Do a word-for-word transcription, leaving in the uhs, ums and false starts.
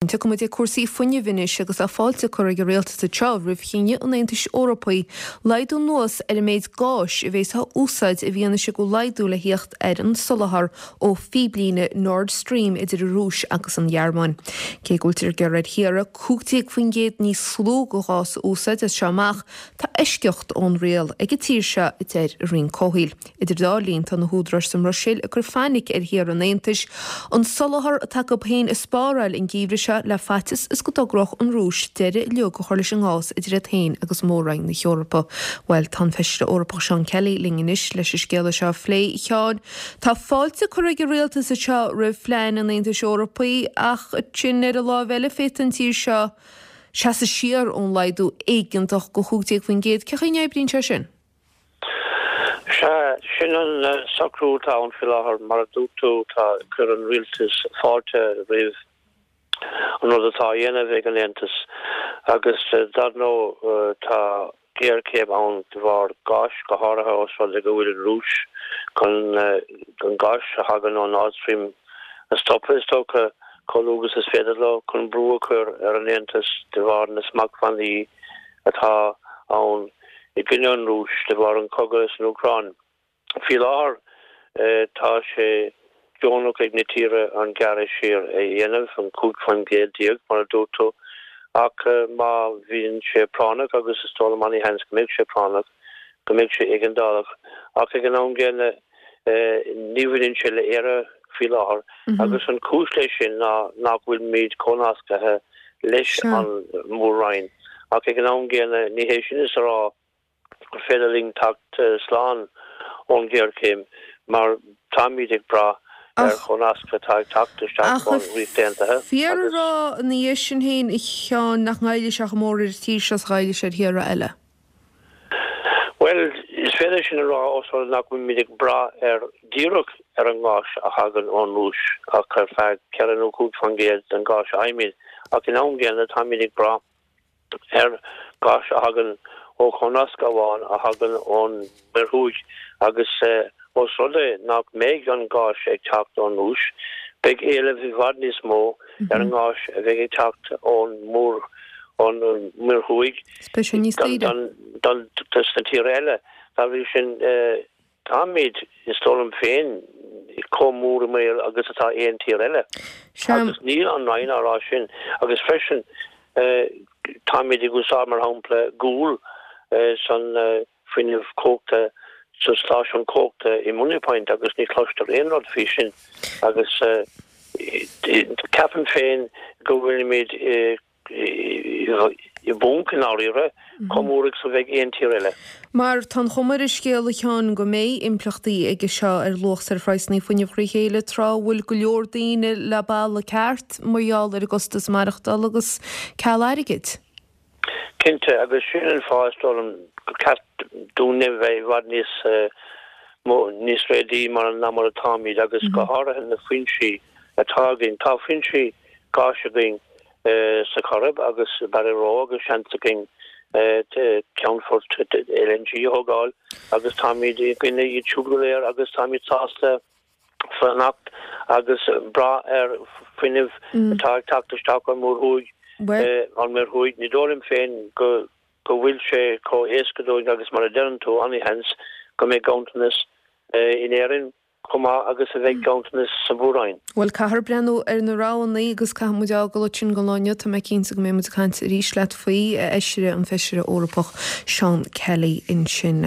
Tiocfaidh muid ag cúrsaí fuinnimh anois agus tá fáilte curtha ag an rialtas anseo roimh chinneadh an Aontais Eorpaigh laghdú anuas ar an méid gáis a bheas á úsáid i bhfianaise go bhfuil laghdú le theacht ar an soláthar ó phíblíne Nord Stream idir an Rúis agus an Ghearmáin. Cé go bhfuiltear ag iarraidh ar thíortha cúig déag faoin gcéad níos lú de ghás a úsáid as seo amach, tá eisceacht ón riail ag an tír seo, a deir an Roinn Comhshaoil. Idir dá linn, tá na húdaráis sa mBruiséil ag cur fainic ar thíortha an Aontais an soláthar atá acu féin a spáráil an geimhreadh seo le faitíos is go dtogródh an Rúis deireadh uilig a chur leis an ngás idir iad féin agus Mór-Roinn na hEorpa. Bhuel, tá an Feisire Eorpach Seán Kelly linn anois leis an scéala seo a phlé. A Sheáin, tá fáilte curtha ag an rialtas anseo roimh phlean an Aontais Eorpaigh ach ansin ar an láimh eile féadfaidh an tír seo seasamh siar ón laghdú éigeantach go chúig déag faoin gcéad. Cén chaoi a n-oibríonn sé sin? Sea, sin an socrú atá ann faoi láthair. Mar a dúirt tú, tá chuir an rialtas fáilte roimh an rud atá á dhéanamh ag an Aontas agus dar ndóigh tá géarchéim ann de bharr gáis, go háirithe ós rud é go bhfuil an Rúis chun an gás a thagann ó Nord Stream a stopadh, is dócha, chomh luath agus is féidir leo, chun brú a chur ar an Aontas de bharr na smachtbhannaí atá ann i gcoinne an Rúis de bharr an chogadh san Úcráin. Faoi láthair tá sé deonach ag na tíortha an gearradh siar a dhéanamh, an cúig faoin gcéad déag mar a dúirt tú, ach má bhíonn sé práinneach, agus is dóigh liom an-sheans go mbeidh sé práinneach, go mbeidh sé éigeandálach. Ach ag an am gcéanna ní bhaineann sé le Éire faoi láthair agus an chúis leis sin ná nach bhfuilimid comhnasctha leis an Mór-Roinn. Ach ag an am gcéanna, ní hé sin is a rá gur féidir linn teacht slán ón ghéarchéim mar táimid ag brath ar chomhnasc atá ag teacht isteach ón Ríocht Aontaithe agus. Fíor a rá ina dhiaidh sin féin, a Sheáin, nach ngoillfidh sé chomh mór ar an tír seo is a ghoillfidh sé ar thíortha eile? Bhuel, is féidir sin a rá ós rud nach bhfuilimid ag brath ar díreach ar an ngás a thagann ón Rúis ach ar feadh ceithre nó cúig faoin gcéad den ghás a fhaighimid, ach in am gcéanna táimid ag brath ar ghás a thagann ó chomhnasc amháin a thagann ón Muir Thuaidh agus ós rud é nach mbeidh an gás ag teacht ón Rúis, beidh éileamh i bhfad níos mó ar an ngás a bheidh ag teacht ón Muir ón Muir Thuaidh don dos na tíortha eile. Dá bhrí sin, táimid, is dóigh liom féin, chomh mór i mbaol agus atá aon tír eile. Agus níl an Roinn á rá sin. Agus freisin, táimid ag úsáid, mar shampla, gual san fuinneamh cumhachta sa stáisiún cumhachta i Moneypoint agus ní chloistear aon rud faoi sin agus ceapaim féin go bhfuilimid i bponc i ndáiríre chomh mór agus a bheidh aon tír eile. Mar tá an chuma ar an scéal, a Sheáin, go mbeidh impleachtaí aige seo ar luach is ar phraghsanna fuinnimh thrí chéile tráth a bhfuil go leor daoine le balla ceart mar gheall ar an gcostas maireachtála agus ceal airgid. Cinnte, agus sin an fáth is dóigh liom gur ceart dúinne bheith i bhfad níos mó, níos réadaí mar ná mar atáimid agus go háirithe na foinsí atá againn. Tá foinsí gáis againn sa Choirib agus i Barryroe agus seans againn ceannfort LNG a thógáil agus táimid i gcoinne iad siúd go léir agus táimid sásta fanacht agus brath ar fuinneamh atá ag teacht isteach ón Muir Thuaidh, ón Muir Thuaidh. Ní dóigh liom féin go go bhfuil sé chomh éasca dúinn agus mar a deireann tú, an-sheans go mbeidh ganntanas in Éirinn chomh maith agus a bheidh ganntanas sa Mhór-Roinn. Bhuel, caithfear breathnú ar na roghanna agus caithfidh muid a fhágáil ansin don lá inniu. Tá mé cinnte go mbeidh muid ag caint arís leat faoi, a Fheisire, an Feisire Eorpach Seán Kelly ansin.